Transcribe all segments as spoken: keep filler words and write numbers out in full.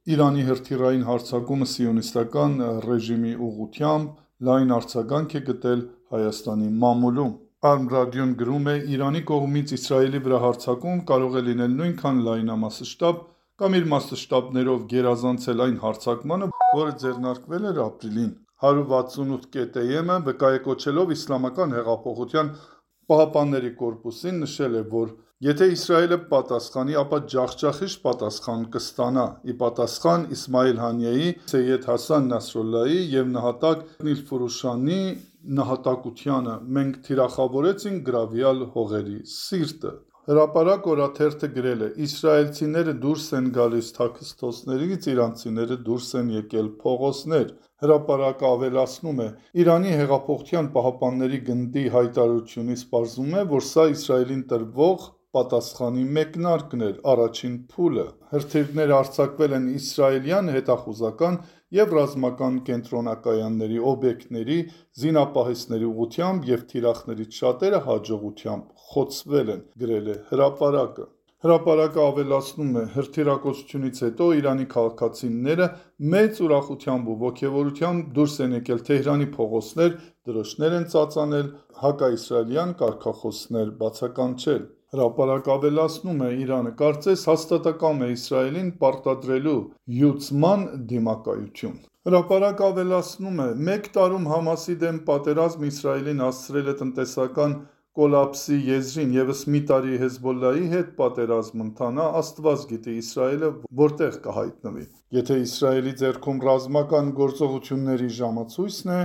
Իրանի հրթիռային հարձակումը սիոնիստական ռեժիմի ուղղությամբ լայն արձագանք է գտել Հայաստանի մամուլում։ Արմ ռադիոն գրում է. Իրանի կողմից Իսրայելի վրա հարձակում կարող է լինել նույնքան լայնամասշտաբ կամ իր մասշտաբներով գերազանցել այն հարձակմանը, որը ձեռնարկվել էր ապրիլին։ հարյուր վաթսունութ կետ էը վկայակոչելով Իսլամական հեղափոխության պահապանների կորպուսին նշել է, որ եթե Իսրայելը պատասխանի, ապա ջախջախիչ պատասխան կստանա։ Ի պատասխան Իսմայիլ Հանիեի, Սեյեդ Հասան Նասրալլահի և նահատակ Նիլֆուրուշանի նահատակությանը մենք թիրախավորեցինք գրավյալ հողերի սիրտը։ Հրապարակ օրաթերթը գրել է. Իսրայելցիները դուրս են գալիս թաքստոցներից, իրանցիները դուրս են եկել փողոցներ։ Հրապարակը ավելացնում է. Իրանի հեղափոխության պահապանների գնդի հայտարարությունից պարզվում է, որ սա Իսրայելին տրվող պատասխանի մեկնարկն էր, առաջին փուլը։ Հրթիռներ արձակվել են իսրայելյան հետախուզական և ռազմական կենտրոնակայանների օբյեկտների, զինապահեսների ուղղությամբ և թիրախներից շատերը հաջողությամբ խոցվել են, գրել է հրապարակը։ Հրապարակը ավելացնում է. հրթիռակոծությունից հետո Իրանի քաղաքացիները մեծ ուրախությամբ ու ոգևորությամբ դուրս են եկել Թեհրանի փողոցներ, դրոշներ են ծածանել, հակաիսրայելյան կարգախոսներ բացականչել։ Հրապարակը ավելացնում է. Իրանը կարծես հաստատակամ է Իսրայելին պարտադրելու յուծման դիմակայություն։ Հրապարակը ավելացնում է. մեկ տարում Համասի դեմ պատերազմը Իսրայելին հասցրել է տնտեսական կոլապսի եզրին, ևս մի տարի Հեզբոլլահի հետ պատերազմ ընթանա, Աստված գիտի Իսրայելը որտեղ կհայտնվի։ Եթե Իսրայելի ձեռքում ռազմական գործողությունների ժամացույցն է,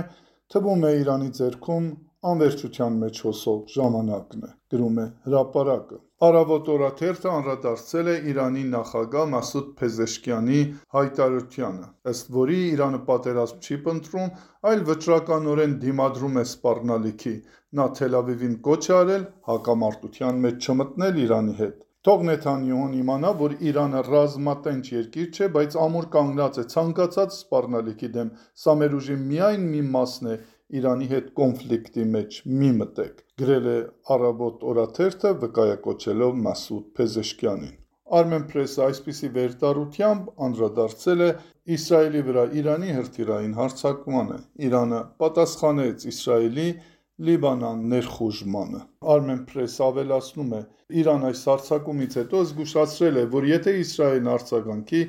թվում է Իրանի ձեռքում անվերջության մեջ հոսող ժամանակն է, գրում է հրապարակը։ Առավոտ օրաթերթը անդրադարձել է Իրանի նախագահ Մասուդ Փեզեշքիանի հայտարարությանը, ըստ որի Իրանը պատերազմ չի փնտրում, այլ վճռականորեն դիմադրում է սպառնալիքի։ Նա Թել Ավիվին կոչ է արել հակամարտության մեջ չմտնել Իրանի հետ։ Թող Նեթանյահուն իմանա, որ Իրանը ռազմատենչ երկիր չէ, բայց ամուր կանգնած է ցանկացած սպառնալիքի դեմ։ Սա մեր ուժի միայն մի մասն է, Իրանի հետ կոնֆլիկտի մեջ մի մտեք, գրել է Առավոտ օրաթերթը վկայակոչելով Մասուդ Փեզեշքյանին։ Armenpress-ը այսպիսի վերտառությամբ անդրադարձել է Իսրայելի վրա Իրանի հրթիռային հարձակմանը։ Իրանը պատասխանեց Իսրայելի Լիբանան ներխուժմանը։ Armenpress-ը ավելացնում է. Իրան այս հարձակումից հետո զգուշացրել է, որ եթե Իսրայելն արձագանքի,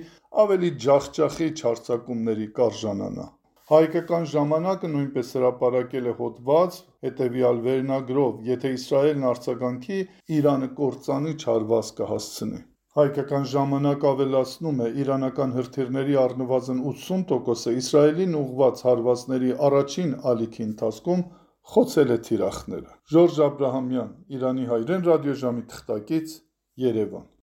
ավելի ջախջախիչ հարձակումների կարժանանա։ Հայկական ժամանակը նույնպես հրապարակել է հոդված հետևյալ վերնագրով. Եթե Իսրայելն արձագանքի, Իրանը կործանիչ հարված կհասցնի։ Հայկական ժամանակը ավելացնում է. իրանական հրթիռների առնվազն ութսուն տոկոսը Իսրայելին ուղղված հարվածների առաջին ալիքի ընթացքում խոցել է թիրախները։ Ժորժ Աբրահամյան, Իրանի հայրեն ռադիոժամի թղթակից, Երևան։